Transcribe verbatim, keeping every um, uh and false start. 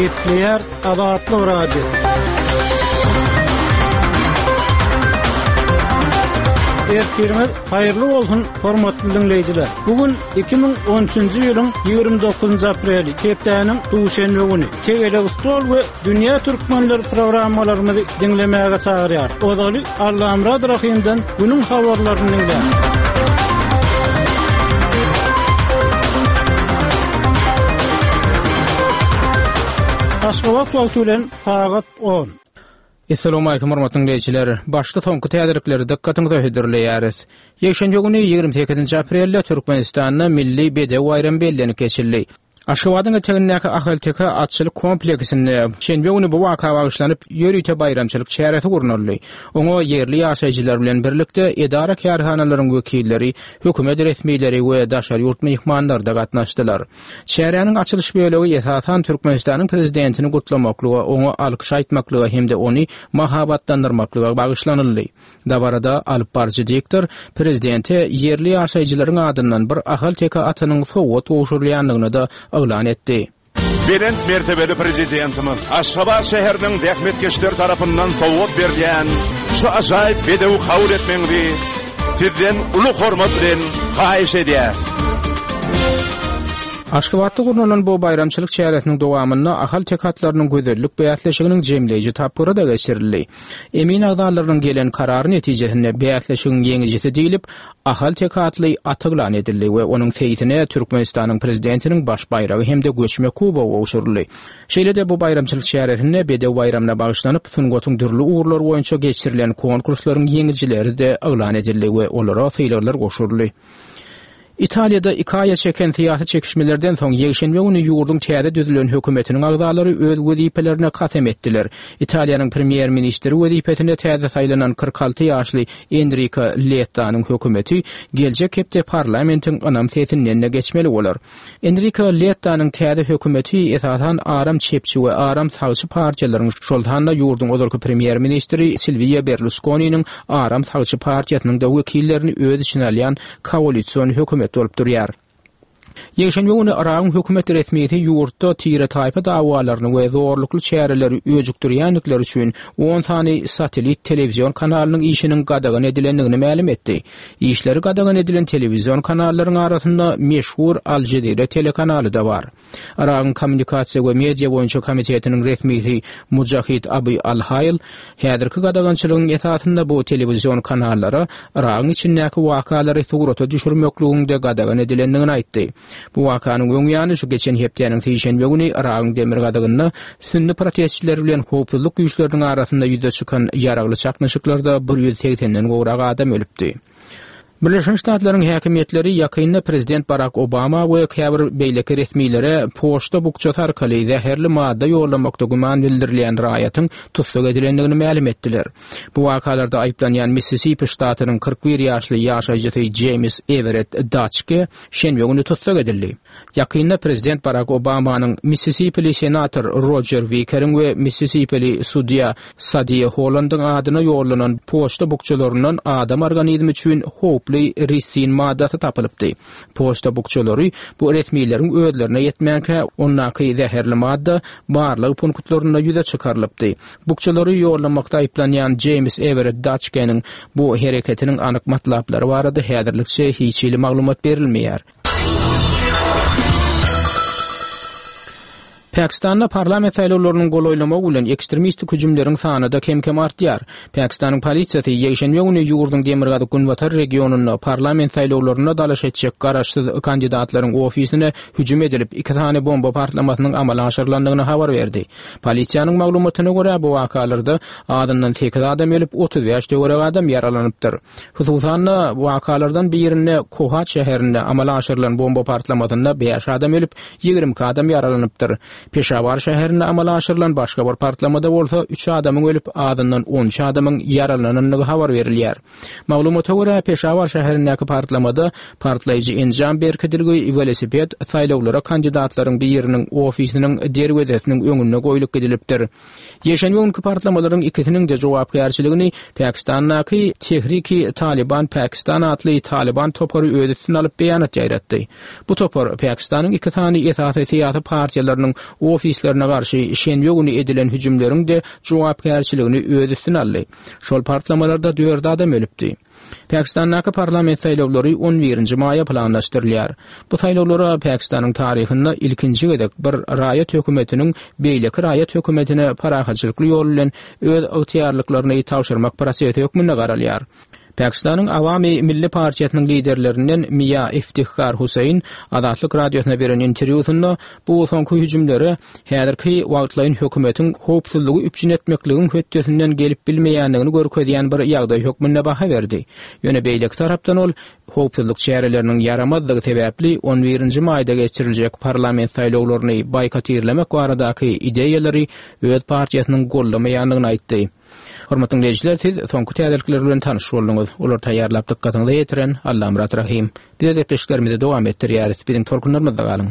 Gepleýär Azatlyk Radiosy. Ertirimiz haýyrly bolsun, hormatly dinleýjiler. Bu gün iki müň on üçünji ýylyň ýigrimi dokuzynjy apreli, hepdäniň duşenbe güni. Tegelek stol we Dünýä Türkmenler programmalarymyzy diňlemäge çagyrýar. Ozaly Allamyrat Rahimden günüň habarlaryny dinläň. Aşgabat wagty bilen sagat on. Assalamu alaykum hormatly dinleýjiler. Başda soňky täzelikleri dykgatyňyza hödürleýäris. Ýekşenbe güni ýigrimi sekizinji aprelde Türkmenistanda Milli Bedew baýramy bellenip geçildi. Aşgabadyň etegindäki Ahalteke atçylyk kompleksinde şenbe güni bu waka bagyşlanyp ýörite baýramçylyk çäresi gurnaldy. Oňa ýerli ýaşaýjylar bilen birlikde edara kärhanalaryň wekilleri, hökümet resmileri we daşary ýurt myhmanlary da gatnaşdylar. Çäräniň açylyş bölegi esasan Türkmenistanyň prezidentini gutlamaklyga, oňa alkyş aýtmaklyga hem-de ony mahabatlandyrmaklyga bagyşlanyldy. Dabarada alyp baryjy diktor prezidente ýerli ýaşaýjylaryň adyndan bir Ahalteke atynyň sowgat gowşurylýandygyny da yglan etdi. Belent mertebeli prezidentimiz Aşgabat şäheriniň zähmetkeşler tarapyndan sowgat berilýän şu ajaýyp bedewi kabul etmegiňizi sizden uly hormat bilen haýyş edýär. Aşgabatda gurnalan bu baýramçylyk çäresiniň dowamynda Ahalteke atlarynyň gözellik bäsleşiginiň jemleýji tapgyry da geçirildi. Emin agzalarynyň gelen karary netijesinde bäsleşigiň ýeňijisi diýilip, Ahalteke atly at yglan edildi we onuň seýsine Türkmenistanyň prezidentiniň baş baýragy hem-de göçme kubogy gowşuryldy. Şeýle-de bu baýramçylyk çäresinde bedew baýramyna bagyşlanyp, sungatyň dürli ugurlary boýunça geçirilen konkurslaryň ýeňijileri de yglan edildi we olara sylaglar gowşuryldy. Italiýada iki aýa çeken syýasy çekişmelerden soň ýekşenbe güni ýurduň täze düzülen hökümetiniň agzalary öz wezipelerine kasam etdiler. Italiýanyň premýer-ministri wezipesine täze saýlanan kyrk alty ýaşly Enrico Lettanyň hökümeti geljek hepde parlamentiň ynam sesinden de geçmeli bolar. Enrico Lettanyň täze hökümeti esasan aram çepçi we aram sagçy partiýalaryň, şol sanda ýurduň ozalky premýer-ministri Silvio Berlusconiniň aram sagçy partiýasynyň da wekillerini öz içine alýan koalision hökümet bolup durýar. Ýekşenbe güni Yragyň hökümet resmisi ýurtda tire taýpa dawalaryny we zorlukly çäreleri öjükdirýändikleri üçin on sany satellit telewizion kanalynyň işiniň gadagan edilendigini mälim etdi. Işleri gadagan edilen telewizion kanallaryň arasynda meşhur Al Jazeera telekanaly da bar. Yragyň kommunikasiýa we media boýunça komitetiniň resmisi Mujahid Abi Al-Hayl häzirki gadagançylygyň esasynda bu telewizion kanallara Yragyň içindäki wakalary surata düşürmekligiň de gadagan edilendigini aýtdy. Bu wakanyň öň ýany şu geçen hepdäniň sişenbe güni Yragyň demirgazygynda sünni protestçiler bilen howpsuzlyk güýçleriniň arasynda ýüze çykan ýaragly çaknyşyklarda bir ýüz segsenden gowrak adam ölüpdi. Birleşen Ştatlaryň häkimiýetleri ýakynda prezident Barack Obama we käbir beýleki resmilere poçta bukjasy arkaly zäherli madda ýollamakda güman bildirilýän raýatyň tussag edilendigini mälim etdiler. Bu wakalarda aýyplanýan Mississippi ştatynyň kyrk bir ýaşly ýaşaýjysy James Everett Dutchke şenbe güni tussag edildi. Ýakynda prezident Barack Obamanyň Mississippili senator Roger Wickeriň we Mississippili sudýa Sadiya Hollandyň adyna ýollanan poçta bukjalaryndan adam organizmi üçin howply risin maddasy tapylypdy. Poçta bukjalary bu resmileriň özlerine ýetmänkä ondaky zäherli madda barlyk punktlarynda ýüze çykarylypdy. Bukjalary ýollamakda aýyplanýan James Everett Dutchkeniň bu hereketiniň anyk matlaplary barada häzirlikçe hiç hili maglumat berilmeýär. Pakistanda parlament saýlawlarynyň golaýlamagy bilen ekstremistik hüjümleriň sany da kem-kem artýar. Pakistanyň polisiýasy ýekşenbe güni ýurduň demirgazyk günbatar regionynda parlament saýlawlarynda dalaş etjek garaşsyz kandidatlaryň ofisine hüjüm edilip iki sany bomba partlamasynyň amala aşyrylandygyny habar berdi. Polisiýanyň maglumatyna görä bu wakalarda adyndan sekiz adam ölüp otuz bäş töwerek adam ýaralanypdyr. Hususan-da wakalardan birinde Kohat şäherinde amala aşyrylan bomba partlamasynda bäş adam ölüp ýigrimi iki adam ýaralanypdyr. Peşawar şäherinde amala aşyrylan başga bir partlamada bolsa üç adamyň ölüp adyndan on üç adamyň ýaralanandygy habar berilýär. Maglumata görä Peşawar şäherindäki partlamada partlaýjy enjam berkidilgi welosiped saýlawlara kandidatlaryň biriniň ofisiniň derwezesiniň öňünde goýlup gidilipdir. Ýekşenbe günki partlamalaryň ikisiniň de jogapkärçiligini Pakistandaky Tehriki Taliban Pakistan atly Taliban topary öz üstüne alyp beýanat ýaýratdy. Bu topar Pakistanyň iki sany esasy syýasy partiýalarynyň ofislerine garşy şenbe güni edilen hüjümleriň-de jogapkärçiligini öz üstüne aldy. Şol partlamalarda dört adam ölüpdi. Pakistandaky parlament saýlawlary on birinji maýa planlaşdyrylýar. Bu saýlawlara Pakistanyň taryhynda ilkinji gezek bir raýat hökümetiniň beýleki raýat hökümetine parahatçylykly ýol bilen öz ygtyýarlyklaryny tabşyrmak prosesi hökmünde garalýar. Pakistanyň Awami Milli partiýasynyň liderlerinden Miýa Iftihar Huseýn Azatlyk Radiosyna beren interwýusynda bu soňky hüjümlere häzirki wagtlaýyn hökümetiň howpsuzlygy üpjün etmekligiň hötdesinden gelip bilmeýändigini görkezýän bir ýagdaý hökmünde baha berdi. Ýöne beýleki tarapdan ol howpsuzlyk çäreleriniň ýaramazdygy sebäpli on birinji maýda geçiriljek parlament saýlawlaryny boýkotirlemek baradaky ideýalary öz partiýasynyň goldamaýandygyny aýtdy. Hormatly dinleýjiler, siz soňky täzelikler bilen tanyş bolduňyz. Olar taýýarlap dykgatyňyza ýetiren Allamyrat Rahym. Biz gepleşiklerimizi dowam etdirýäris. Biziň tolkunlarymyzda galyň.